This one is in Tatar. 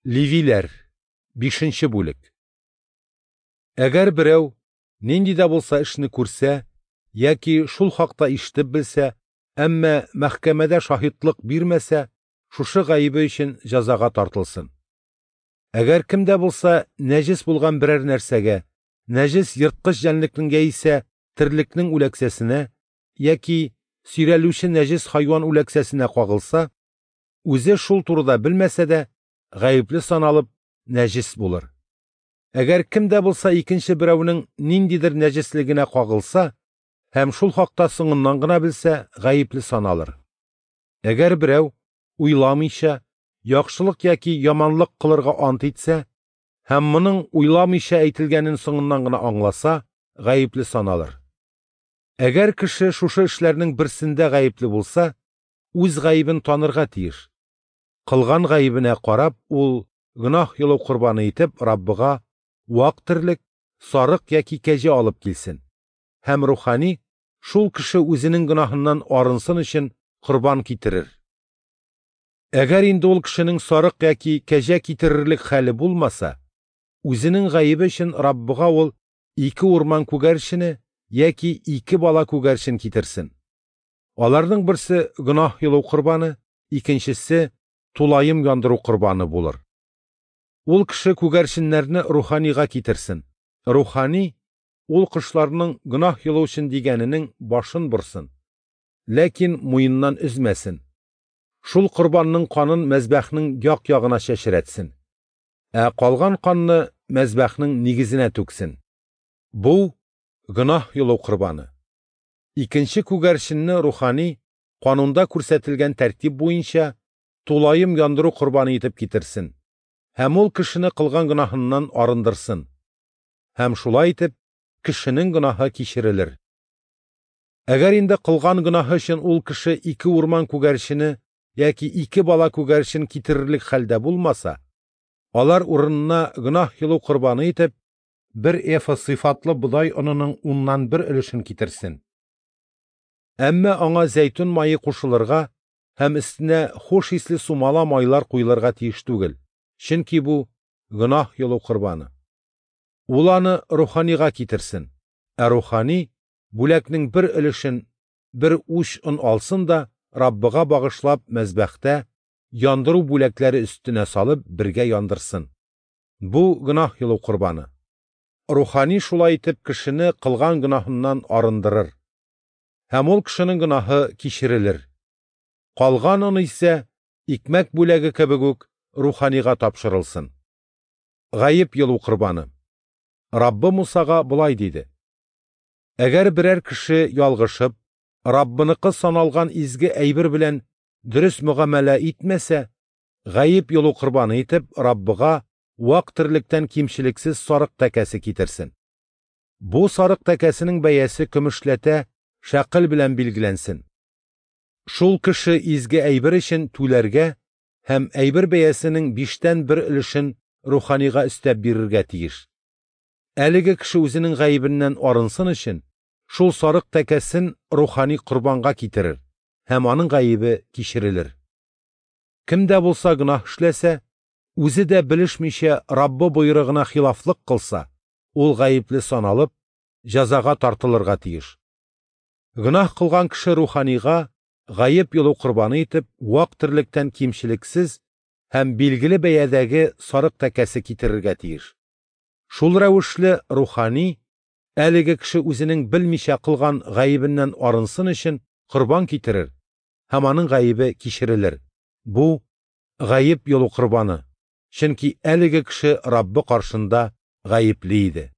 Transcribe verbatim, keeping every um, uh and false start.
Левиләр, бишенче бүлек. Әгәр берәү нинди дә булса эшне күрсә яки шул хакта ишетеп белсә, әмма мәхкәмәдә шаһитлык бирмәсә, шушы гаебе өчен җәзага тартылсын. Әгәр кем дә булса нәҗес булган берәр нәрсәгә, нәҗес ерткыч җәнлекнең яисә терлекнең үләксәсенә яки сөйрәлүче нәҗес хайван үләксәсенә кагылса, үзе шул турыда белмәсә дә, гаепле саналып нәҗес булыр. Әгәр кем дә булса икенче берәүнең ниндидер нәҗеслегенә кагылса һәм шул хакта соңыннан гына белсә, гаепле саналыр. Әгәр берәү уйламыйча яхшылык яки яманлык кылырга ант итсә һәм моның уйламыйча әйтелгәнен соңыннан гына аңласа, гаепле саналыр. Әгәр кеше шушы эшләрнең берсендә гаепле булса, үз гаебен танырга тиеш. Кылган гаебенә карап, ул гөнаһ йолу корбаны итеп Раббыга вак терлек, сарык яки кәҗә алып килсен. Һәм рухани шул кеше үзенең гөнаһыннан арынсын өчен корбан китерер. Әгәр инде ул кешенең сарык яки кәҗә китерерлек хәле булмаса, үзенең гаебе өчен Раббыга ул ике урман күгәрчене яки ике бала күгәрчен китерсен. Аларның берсе гөнаһ йолу корбаны, икенчесе тулаем яндыру корбаны булыр. Ул кеше күгәрченнәрне руханига китерсен. Рухани ул кошларның гөнаһ йолу өчен дигәненең башын борсын, ләкин муеннан өзмәсен. Шул корбанның канын мәзбәхнең як-ягына чәчрәтсен, ә калган канны мәзбәхнең нигезенә түксен. Бу гөнаһ йолу корбаны. Икенче күгәрченне рухани канунда күрсәтелгән тәртип буенча тулаем яндыру корбаны итеп китерсен һәм ул кешене кылган гөнаһыннан арындырсын. Һәм шулай итеп кешенең гөнаһы кичерелер. Әгәр инде кылган гөнаһы өчен ул кеше ике урман күгәрчене яки ике бала күгәрчен китерерлек хәлдә булмаса, алар урынына гөнаһ йолу корбаны итеп бер эфа сыйфатлы бодай онының уннан бер өлешен китерсен. Әмма аңа зәйтүн мае кушылырга һәм өстенә хуш исле сумала майлар куелырга тиеш түгел, чөнки бу гөнаһ йолу корбаны. Ул аны руханига китерсен, ә рухани бүләкнең бер өлешен бер уч он алсын да Раббыга багышлап мәзбәхтә яндыру бүләкләре өстенә салып бергә яндырсын. Бу гөнаһ йолу корбаны. Рухани шулай итеп кешене кылган гөнаһыннан арындырыр. Һәм ул кешенең гөнаһы кичерелер. Калган он исә икмәк бүләге кебек үк руханига тапшырылсын. Гаеп йолу корбаны. Раббы Мусага болай диде: Әгәр берәр кеше ялгышып, Раббыныкы саналган изге әйбер белән дөрес мөгамәлә итмәсә, гаеп йолу корбаны итеп Раббыга вак терлектән кимчелексез сарык тәкәсе китерсен. Бу сарык тәкәсенең бәясе көмешләтә шәкел белән билгеләнсен. Шул кеше изге әйбер өчен түләргә һәм әйбер бәясенең биштән бер өлешен руханига өстәп бирергә тиеш. Әлеге кеше үзенең гаебеннән арынсын өчен шул сарык тәкәсен рухани корбанга китерер һәм аның гаебе кичерелер. Кем дә булса гөнаһ эшләсә, үзе дә белешмичә Раббы боерыгына хилафлык кылса, ул гаепле саналып, җәзага тартылырга тиеш. Гөнаһ кылган кеше руханига гаеп йолу корбаны итеп вак терлектән кимчелексез һәм билгеле бәядәге сарык тәкәсе китерергә тиеш. Шул рәвешле рухани әлеге кеше үзенең белмичә кылган гаебеннән арынсын өчен корбан китерер һәм аның гаебе кичерелер. Бу гаеп йолу корбаны, чөнки әлеге кеше Раббы каршында гаепле иде.